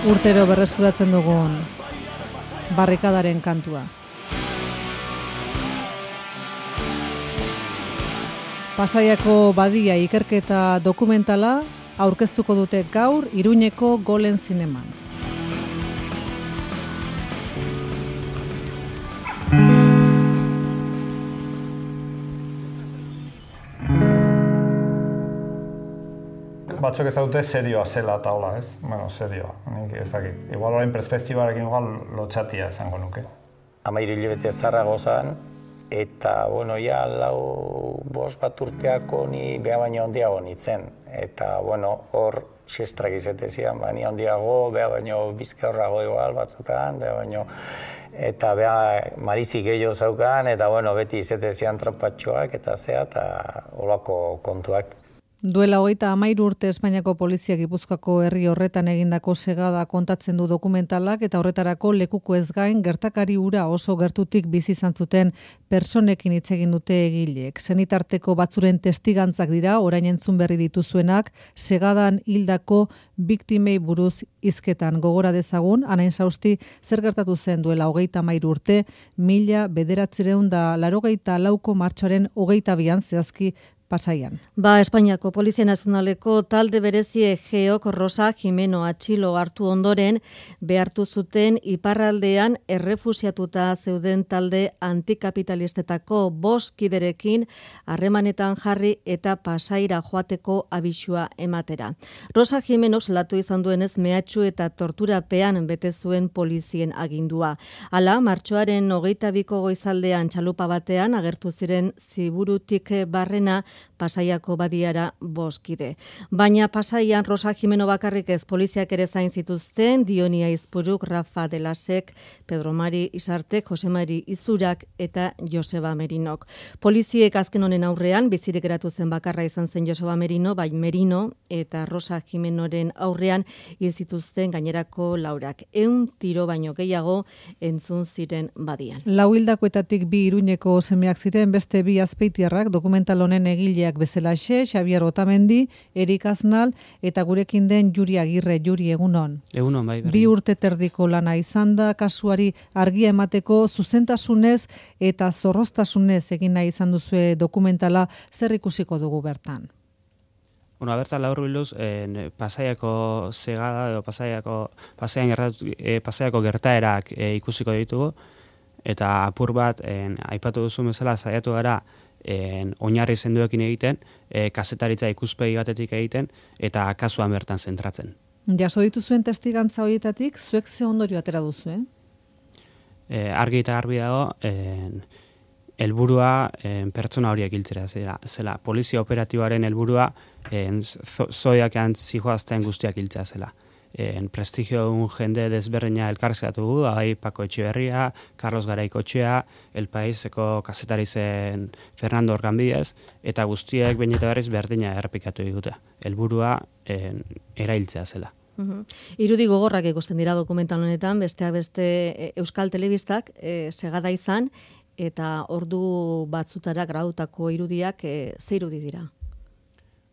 urtero berreskuratzen dugun barrikadaren kantua. Pasaiako badia ikerketa dokumentala aurkeztuko dute gaur Iruñeko Golen Zineman. Batzuk ez dute serioa zela eta hola, ez? Bueno, serioa, nik ez dakit. Igual orain perspektibarekin igual lotxatia esango nuke. 13 hilabete zarrago zan, eta, bueno, ja, 4-5 bat urteako ni beha baino handiago nintzen. Eta, bueno, hor, xestrak izatezian, ni handiago, beha baino bizka horrago igual batzutan, beha baino, eta beha marizik gehiago zaukan, eta, bueno, beti izatezian tropatxoak, eta zea, eta olako kontuak. Duela 33 urte Espainiako polizia Gipuzkoako herri horretan egindako segada kontatzen du dokumentalak eta horretarako lekuko ez gain gertakari hura oso gertutik bizi izan zuten pertsonekin hitz egin dute egileek. Senitarteko batzuren testigantzak dira orain entzun berri dituzuenak segadan hildako biktimei buruz hizketan gogora dezagun Anain Sausti zer gertatu zen duela 33 urte 1984ko martxoaren 22an zehazki Pasaian. Espainiako Polizia Nazionaleko talde berezie Geok Rosa Jimeno atxilo hartu ondoren behartu zuten iparraldean errefusiatuta zeuden talde antikapitalistetako 5 kiderekin harremanetan jarri eta Pasaira joateko abisua ematera. Rosa Jimeno salatu izan duenez mehatxu eta torturapean bete zuen polizien agindua. Hala, martxoaren 22ko goizaldean txalupa batean agertu ziren Ziburutik barrena Pasaiako badiara 5 kide. Baina Pasaian Rosa Jimeno bakarrik ez poliziak ere zain zituzten, Dioni Aizpuruk, Rafa Delasek, Pedro Mari Isartek, Jose Mari Izurak eta Joseba Merinok. Poliziek azken honen aurrean bizirik geratu zen bakarra izan zen Joseba Merino, bai Merino eta Rosa Jimenoren aurrean hil zituzten gainerako laurak. 100 tiro baino gehiago entzun ziren badian. 4 hildakoetatik 2 Iruñeko semeak ziren, beste 2 azpeitiarrak dokumental honen egileak bezalaxe, Xabier Otamendi, Erik Aznal eta gurekin den Juri Agirre. Juri, egunon. Egunon, bai. 2 urte terdiko lana izan da, kasuari argia emateko zuzentasunez eta zorroztasunez egin nahi izan duzue dokumentala, zer ikusiko dugu bertan? Bueno, bertan laburbiluz, Pasaiako segada edo Pasaiako gertaerak ikusiko ditugu, eta apur bat, aipatu duzu bezala, saiatu gara, oinarri zenduekin egiten, kazetaritza ikuspegi batetik egiten, eta kasuan bertan zentratzen. Jaso dituzuen testigantza horietatik, zuek ze ondorio atera duzu, Argi eta garbi dago, helburua pertsona horiek hiltzera zela. Polizia operatiboaren helburua zoiakean zijoazten guztiak hiltzea zela. Prestigio un jende desberdina elkarrizkatu gu, bai Pako Etxeberria, Carlos Garaikotxea, El Paiseko kazetari zen Fernando Organbidez, eta guztiek behin eta berriz berdina errepikatu digute. Helburua erailtzea zela. Irudi gogorrak ikusten dira dokumental honetan, besteak beste Euskal Telebistak segada izan, eta ordu batzutara grautako irudiak ze irudi dira?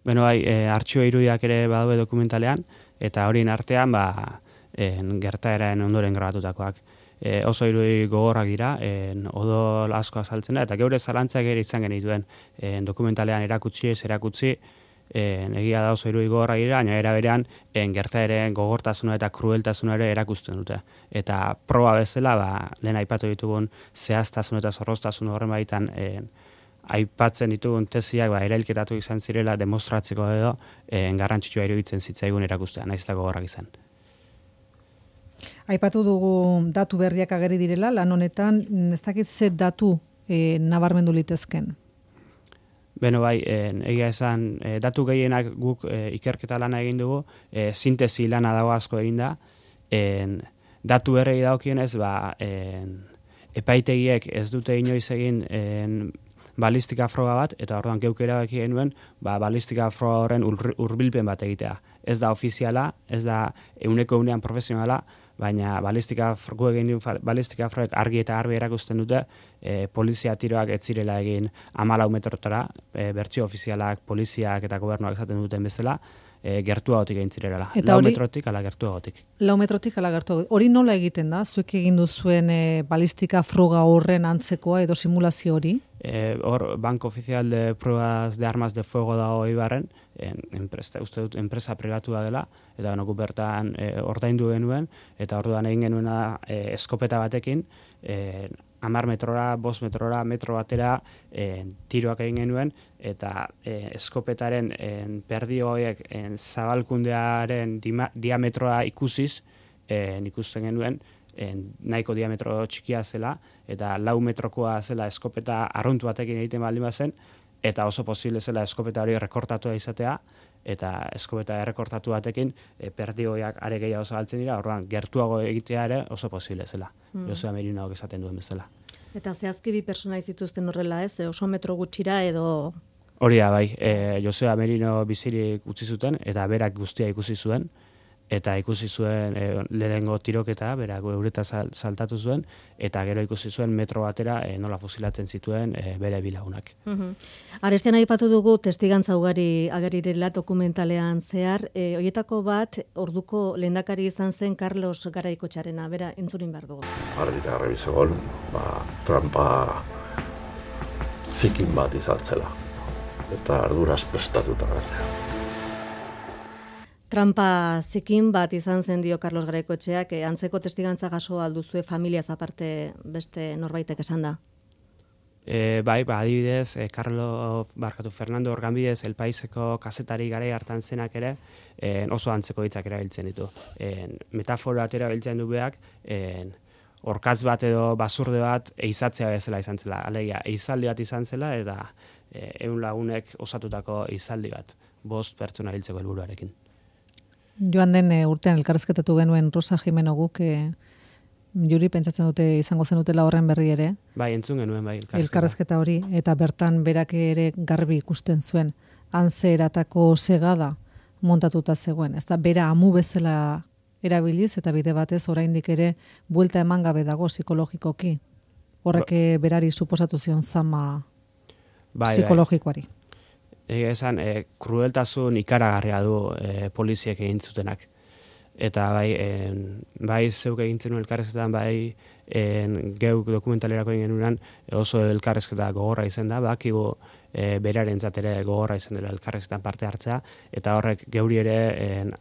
Beno, bai, artxio irudiak ere badaude dokumentalean, eta horien artean gertaeraren ondoren grabatutakoak. Oso irudi gogorrak dira, odol asko azaltzen da, eta geure zalantzak ere izan genituen dokumentalean erakutsi, egia da oso irudi gogorrak dira, baina era berean gertaeren gogortasuna eta krueltasuna ere erakusten dute. Eta proba bezala, lehen aipatu ditugun zehaztasun eta zorroztasun horren baitan aipatzen ditugun tesiak erailketatu izan zirela demostratzeko edo garrantzitsua iruditzen zitzaigun erakustea, naiz eta gogorrak izan. Aipatu dugu datu berriak ageri direla, lan honetan, ez dakit ze datu nabarmendu litezken? Beno bai, egia esan, datu gehienak guk ikerketa lana egin dugu, sintesi lana dago asko egin da, datu berrei dagokienez, epaitegiek ez dute inoiz egin balistika froga bat, eta orduan geuk erabaki genuen, balistika froga horren hurbilpen bat egitea. Ez da ofiziala, ez da 100% profesionala, baina balistika froek argi eta garbi erakusten dute, polizia tiroak ez zirela egin 14 metrotara, bertsio ofizialak, poliziak eta gobernuak esaten duten bezala, gertuagotik egin zirela. Eta 4 hori- metrotik ala gertuagotik. 4 metrotik ala gertu. Hori nola egiten da? Zuek egin duzuen balistika froga horren antzekoa edo simulazio hori? Hor, Banco Oficial de Pruebas de Armas de Fuego dago Eibarren, uste dut enpresa pribatua dela, eta gu bertan ordaindu genuen, eta orduan egin genuena eskopeta batekin, 10 metrora, 5 metrora, metro batera tiroak egin genuen, eta eskopetaren perdi horiek zabalkundearen diametroa ikusiz, ikusten genuen, nahiko diametro txikia zela, eta 4 metrokoa zela eskopeta arruntu batekin egiten baldin bazen, eta oso posible zela eskopeta hori rekortatua izatea, eta eskopeta errekortatu batekin perdioak are gehiago zabaltzen dira, orduan gertuago egitea ere oso posible zela. Joseba Merinoak esaten duen bezala. Eta zehazki bi pertsona zituzten horrela, ez? Oso metro gutxira edo... Hori da, bai, Joseba Merino bizirik utzi zuten, eta berak guztia ikusi zuen, eta ikusi zuen lehenengo tiroketa, berak eureta saltatu zuen, eta gero ikusi zuen metro batera nola fusilatzen zituen bere bilagunak. Arestian aipatu dugu testigantza ugari agerirela dokumentalean zehar, hoietako bat orduko lehendakari izan zen Carlos Garaikotxarena, bera entzurin behar dugu. Argi eta garbi zegoen, trampa zikin bat izan zela, eta arduraz prestatuta gainera. Trampa zikin bat izan zen dio Carlos Garaikotxeak, antzeko testigantza jaso alduzue familiaz aparte beste norbaitek esan da? Bai, adibidez, Fernando Organbidez, El Paiseko kazetari garai hartan zenak ere, oso antzeko hitzak erabiltzen ditu. Metafora atera biltzen du beak, orkatz bat edo basurde bat eizatzea bezala izan zela. Alegia, eizaldi bat izan zela, eta 100 lagunek osatutako eizaldi bat, 5 pertsona hiltzeko helburuarekin. Joan den urtean elkarrezketatu genuen Rosa Jimeno guk, Juri pentsatzen dute izango zenutela horren berri ere. Bai, entzun genuen, bai, elkarrezketa hori, eta bertan berak ere garbi ikusten zuen, antze eratako segada montatuta zegoen. Ez da, bera amu bezala erabiliz, eta bide batez oraindik ere buelta eman gabe dago psikologikoki. Horrek berari suposatu zion zama psikologikoari. Esan, krudeltasun ikaragarria du poliziek egin zutenak. Eta bai zeuk egin zenuen elkarrezketan, bai geuk dokumentalerako egin genuenan oso elkarrezketa gogorra izan da, bakigu berarentzat ere gogorra izan dela elkarrezketan parte hartzea, eta horrek geuri ere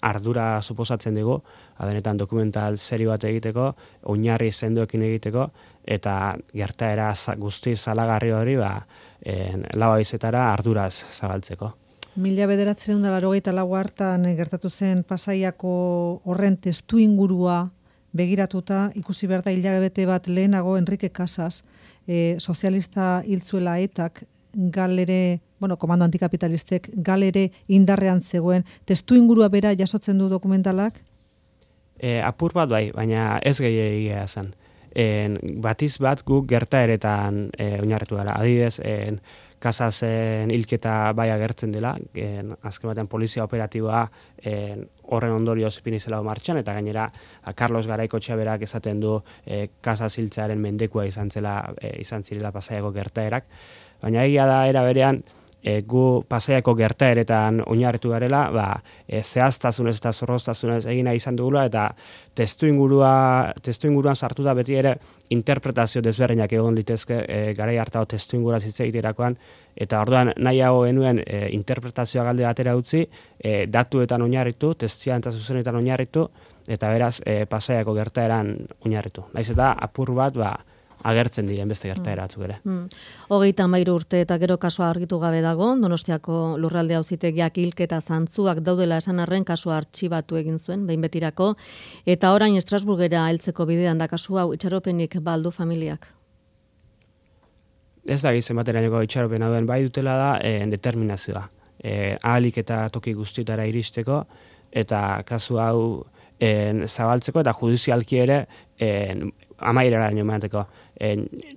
ardura suposatzen dugu, benetan dokumental serio bat egiteko, oinarri sendoekin egiteko, eta gertaera guzti salagarri hori lau haizetara arduraz zabaltzeko. 1984 hartan gertatu zen Pasaiako horren testu ingurua begiratuta, ikusi behar da hilabete bat lehenago Enrique Casas, sozialista hiltzuela etak, galere, komando antikapitalistek, galere indarrean zegoen, testu ingurua bera jasotzen du dokumentalak? Apur bat bai, baina ez gehiagia zen. Batiz bat guk gertaeretan oinarritu gara. Adibidez, Casasen hilketa bai agertzen dela, azken batean polizia operatiboa horren ondorioz ipini zela martxan, eta gainera Carlos Garaikotxea berak esaten du Casas hiltzearen mendekua izan zirela Pasaiako gertaerak, baina egia da era berean gu Pasaiako gertaeretan oinarritu garela, zehaztasunez eta zorroztasunez egina izan dugula, eta testuinguruan sartu da beti ere interpretazio desberdinak egon litezke garai hartako testuingura hitz egiterakoan, eta orduan nahiago genuen interpretazioa galde batera utzi, datuetan oinarritu, testigantzia zuzenetan oinarritu, eta beraz Pasaiako gertaeran oinarritu. Naiz eta apur bat agertzen diren beste gertaera batzuk ere. 33 urte eta gero kasua argitu gabe dago, Donostiako Lurralde Auzitegiak hilketa zantzuak daudela esan arren kasua artxibatu egin zuen, behin betirako, eta orain Estrasburgera heltzeko bidean da kasu hau, itxaropenik baldu familiak? Ez da gizien baterainoko itxaropena duen, bai dutela da determinazioa. Ahalik eta toki guztietara iristeko, eta kasu hau zabaltzeko, eta judizialki ere amaierara emateko.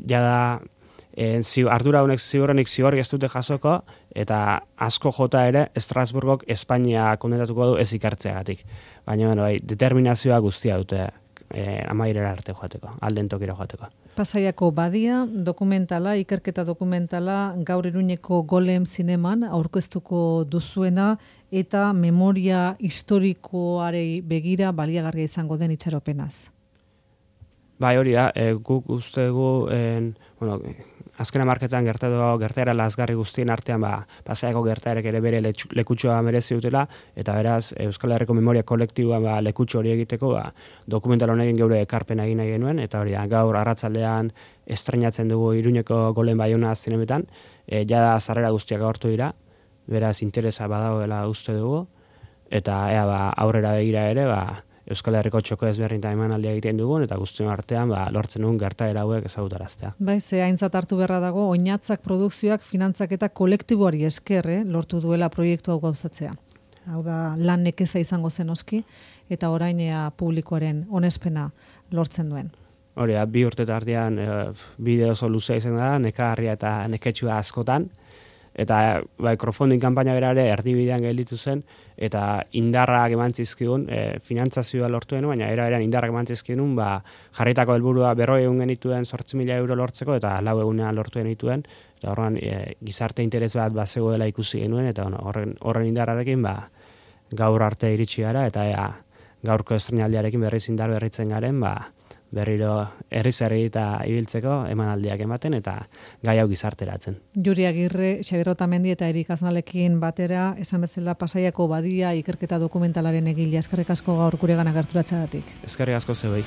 Jada ardura honek ziurrenik zigorrik ez dute jasoko, eta asko jota ere Estrasburgok Espainia kondentatuko du ez ikartzeagatik. Baina determinazioa guztia dute amaierara arte joateko, alden tokira joateko. Pasaiako badia, dokumentala, ikerketa dokumentala, gaur Iruñeko Golem zineman aurkeztuko duzuena, eta memoria historikoarei begira baliagarria izango den itxaropenaz. Bai, hori da, guk uste dugu, azken hamarketan gertaera lazgarri guztien artean, Pasaiako gertaerek ere bere lekutxoa merezi dutela, eta beraz, Euskal Herriko memoria kolektiboa lekutxo hori egiteko, dokumental honekin geure ekarpena egin nahi genuen, eta hori da, gaur arratsaldean estreinatzen dugu Iruñeko Golen Baiona zinemetan, jada sarrera guztiak agortu dira, beraz interesa badagoela uste dugu, eta aurrera begira ere, Euskal Herriko txoko ezberdintan emanaldia egiten dugun, eta guztion artean lortzen dugun gertaera hauek ezagutaraztea. Bai, ze aintzat hartu beharra dago, oinatzak produkzioak finantzak eta kolektiboari esker lortu duela proiektu hau gauzatzea. Hau da, lan nekeza izango zen oski, eta orainea publikoaren onespena lortzen duen. Hori, 2 urte tartean bideo oso luzea izan da, nekagarria eta neketsua askotan, eta crowdfunding kanpaina bera ere erdibidean gelditu zen, eta indarrak emantzizkigun, finantzazioa lortu denun, baina era-eran indarrak emantzizkigun, jarritako helburua 40 egun genituen 8.000 euro lortzeko, eta 4 egunean lortu genituen, eta horren gizarte interes bat bazegoela ikusi genuen, eta horren indarrarekin gaur arte iritsi gara, eta gaurko estreinaldiarekin berriz indar berritzen garen, berriro herri eta ibiltzeko emanaldiak ematen eta gai hau gizarteratzen. Juri Agirre, Xabier Otamendi eta Erik Aznalekin batera, esan bezala Pasaiako badia ikerketa dokumentalaren egilea. Eskerrik asko gaur guregana gerturatzeagatik. Eskerrik asko zeuei.